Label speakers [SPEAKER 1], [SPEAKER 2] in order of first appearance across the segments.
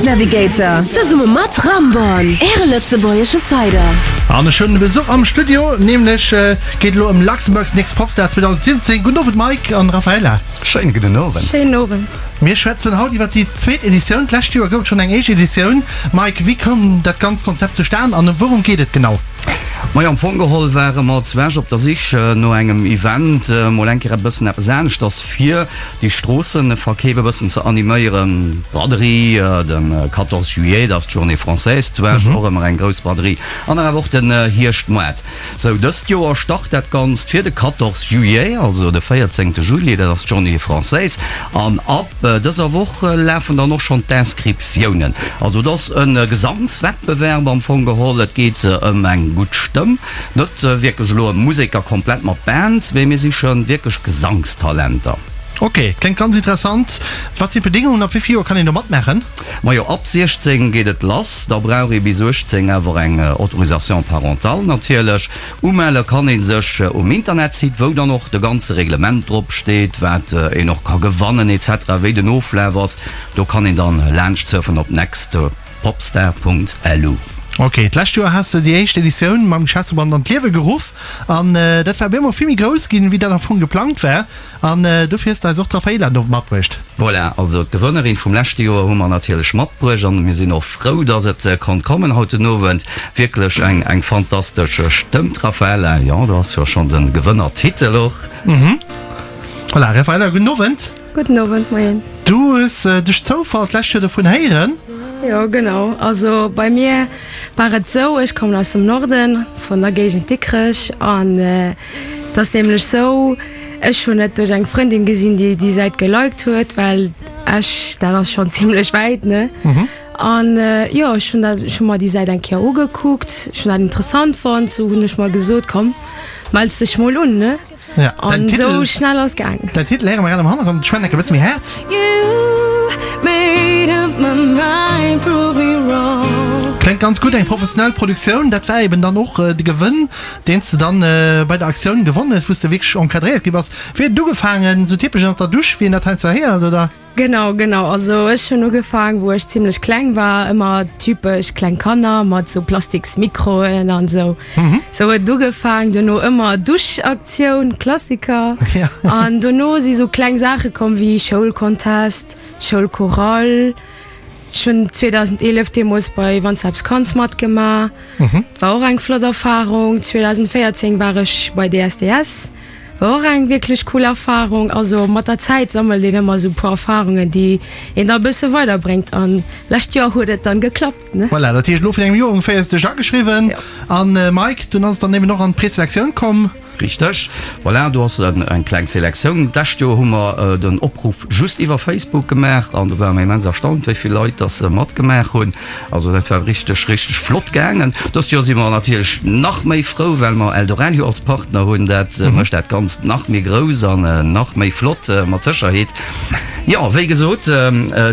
[SPEAKER 1] Event Navigator zesumme mat Ramborn, Äre lëtzebuergesche Cider.
[SPEAKER 2] An ech hunn Besuch am Studio, nämlech geet elo ëm Luxembourg's Next Popstar 2017. Gudden Owend Mike an Raphaela.
[SPEAKER 3] Schéine gudden Owend.
[SPEAKER 4] Schéinen Owend.
[SPEAKER 2] Mir schwätzen haut iwwer déi zweet Editioun. D'lescht Joer gouf et schonn eng éischt Editioun. Mike, wéi koum dat ganzt Konzept zustan an wourëm geet et genau?
[SPEAKER 3] Majo, am Fong geholl ware mer zu Esch op der Sich no engem Event, mol eng Kéier e bëssen eppes aneschters fir déi Stroosseverkeef e bëssen ze animéieren. Braderie, de 14 juillet, dat ass d'Journée française zu Esch, och ëmmer eng grouss Braderie an dann awer och den Hierschtmoart. Sou, dëst Joer start dat Ganzt fir de 14 juillet, also de 14 Juli, dat ass d'Journée française an ab dëser Woch lafen dann och schonn d'Inscriptiounen. Also et ass e Gesangswettbewerb am Fong geholl. Et geet ëm eng gutt Stëmm, net wierklech elo ëm Museker komplett mat Band, mee mir siche wierklech Gesangstalenter.
[SPEAKER 2] Ok, kléngt ganz interessant. Wat sinn d'Bedingungen, ab wéi vill Joer kann een do matmaachen?
[SPEAKER 3] Majo, ab 16 geet et lass. Da brauch ee bis 18 awer eng Autorisation parentale natierlech. Umelle kann ee sech um Internetsite, wou dann och de ganze Reglement drop steet, wat een och ka gewannen etc, wéi den Oflaf ass. Do kann een dann laanscht surfen op nextpopstar.lu.
[SPEAKER 2] Ok, d'lescht Joer has de déi éischt Editioun mam Geschäftsverband an d'Liewe geruff an dat war op eemol vill méi grouss ginn, wéi dat am Fong geplangt war. An dofir hues de eis och d'Raffaela do matbruecht.
[SPEAKER 3] Voilà, also d'Gewënnerin vum leschte Joer hu mer natierlech matbruecht an mir sinn och frou, dass et konnt kommen haut den Owend. Wierklech eng eng fantastesch Stëmm, d'Raffaela. Jo, do ass jo schonn de Gewënnertitel och.
[SPEAKER 2] Voilà, Raffaela, gudden Owend.
[SPEAKER 4] Gudden Owend, moien.
[SPEAKER 2] Du hues duerch Zoufall d'lescht Joer dovun héieren?
[SPEAKER 4] Jo, genau. Also bei mir war et esou, ech kommen aus dem Norden, vun der Géigend Dikrech an Et ass nämlech sou, ech hunn et duerch eng Frëndin gesinn, déi déi Säit geliked huet, well Esch, dat ass schonn zimlech wäit, ne? An jo, ech hunn dat, ech hu mer déi Säit eng Kéier ugekuckt, ech hunn dat interessant fonnt, sou hunn ech mer gesot, komm, mells dech mol un, ne?
[SPEAKER 2] Ja,
[SPEAKER 4] An sou schnell ass gaang.
[SPEAKER 2] Däin Titel héiere mer grad am Hannergrond, ech schwätzen enke bësse méi haart. Kléngt ganz gutt, eng professionell Produktioun, dat war eben dann och de Gewënn. Deen s de dann bei der Aktioun gewonnen hues, wou s de wierklech encadréiert gi bass. Wéi huet et ugefaangen? Sou typesch ënnert der Dusch, wéi een dat heiansdo héiert, oder?
[SPEAKER 4] Genau, genau. Also ech hunn ugefaang, wou ech zimlech kleng war, ëmmer typesch kleng Kanner mat sou plastiks Mikroen an sou. Sou huet et ugefaang, dono ëmmer Duschaktioun, Klassiker. An dono si sou kleng Saache komm wéi Schoulcontest, Schoulchorale. Ech hunn 2011 deemools bei Wann s du eppes kanns matgemaach. War och eng flott Erfarung. 2014 war ech bei DSDS. War och eng wierklech cool Erfarung. Also mat der Zäit sammelt een ëmmer esou e puer Erfarungen, déi een da e bësse weiderbréngt. An lescht Joer huet et dann geklappt, ne?
[SPEAKER 2] Voilà, dat heescht elo virun engem Joer ongeféier hues de dech ageschriwwen. An Mike, dunn ass et dann eben och an d'Preselektioun komm.
[SPEAKER 3] Richteg. Voilà, do ass eng kleng Selektioun. D'lescht Joer hu mer den Opruff just iwwer Facebook gemaach an do ware mer immens erstaunt, wéi vill Leit dass matgemaach hunn. Also dat war richteg, richteg flott gaangen. Dëst Joer si mer natierlech nach méi frou, well mer Eldoradio als Partner hunn. Dat mécht dat Ganzt nach méi grouss an nach méi flott mat Sécherheet. Jo, wéi gesot,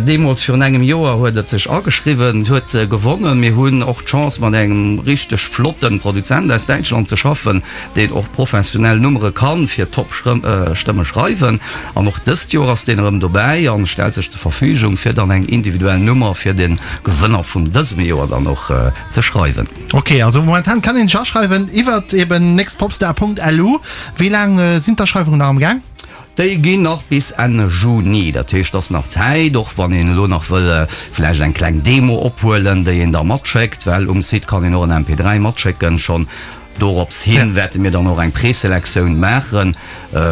[SPEAKER 3] deemools virun engem Joer huet et sech ageschriwwen, huet gewonnen. Mir hunn och d'Chance mat engem richteg flotte Produzent aus Däitschland ze schaffen, deen och professionell Nummere kann fir top Stëmme schreiwen. An och dëst Joer ass deen erëm dobäi an stellt sech zur Verfügung fir dann eng individuell Nummer fir den Gewënner vun dësem Joer dann och ze schreiwen.
[SPEAKER 2] Ok, also momentan kann een sech aschreiwen iwwert eben nextpopstar.lu. Wéi laang sinn d'Aschreiwungen nach am Gaang?
[SPEAKER 3] Déi ginn nach bis Enn Juni, dat heescht, et ass nach Zäit, och wann een elo nach wëll vläicht eng kleng Demo ophuelen, déi een da matschéckt, well um Site kann een och en MP3 matschécken schonn. Dorops hin wäerte mir dann och eng Preselektioun maachen,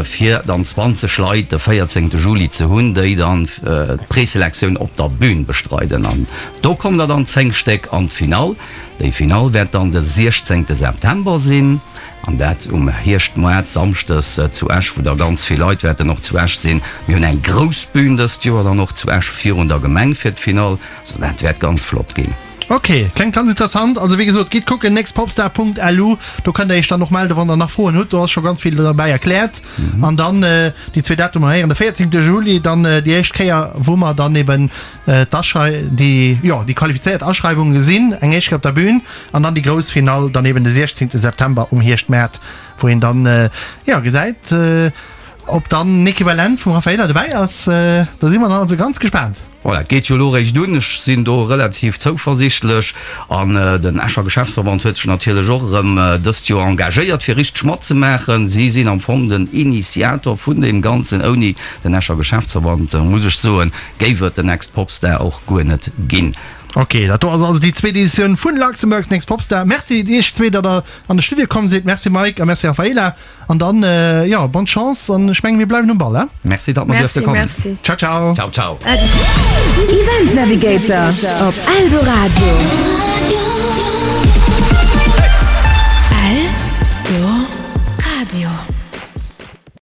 [SPEAKER 3] fir dann 20 Leit de 14 Juli ze hunn, déi dann d'Preselektioun op der Bühn bestreiden. An do kommen der dann 10 Stéck an d'Finall. Déi Finall wäert dann de 16 September sinn, an dat um Hierschtmoart, samschdes zu Esch, wou da ganz vill Leit wäerten och zu Esch sinn. Mir hunn eng grouss Bühn dëst Joer dann och zu Esch virun der Gemeng fir d'Finall. Also dat wäert ganz flott ginn.
[SPEAKER 2] Ok, klengt ganz interessant. Also wéi gesot, gitt kucken, nextpopstar.lu, do kënnt der iech dann och melden, wann der nach Froen hutt. Do ass scho ganz vill derbäi erkläert. An dann déi zwee Datumer héieren, de 14 Juli dann déi éischt Kéier, wou mer dann eben d'Aschrei-, déi, jo, déi qualifizéiert Aschreiwunge gesinn, eng éischt Kéier op der Bühn, an dann déi grouss Finall dann eben de 16 September um Hierschtmaart, wou een dann, jo, gesäit, ob dann en Equivalent vum Raffaella dobäi ass. Do si mer dann also ganz gespaant.
[SPEAKER 3] Voilà, et geet jo elo eréischt un. Ech sinn do relativ zouversichtlech. An den Escher Geschäftsverband huet sech natierlech och erëm dëst Joer engagéiert, fir richteg matzemaachen. Si sinn am Fong den Initiator vun deem Ganzen. Ouni den Escher Geschäftsverband, muss ech soen, géif et den Next Popstar och guer net ginn.
[SPEAKER 2] Ok, dat do ass also déi zweet Editioun vun Luxembourg's Next Popstar. Merci iech zwee, datt der an de Studio komm sidd. Merci Mike a merci Raphaela. An dann, jo, bonne Chance an ech mengen, mir bleiwen um Ball, he?
[SPEAKER 3] Merci, datt mer duerfte kommen.
[SPEAKER 4] Merci, merci.
[SPEAKER 2] Ciao, ciao.
[SPEAKER 3] Ciao, ciao.
[SPEAKER 1] Event Navigator op Eldoradio.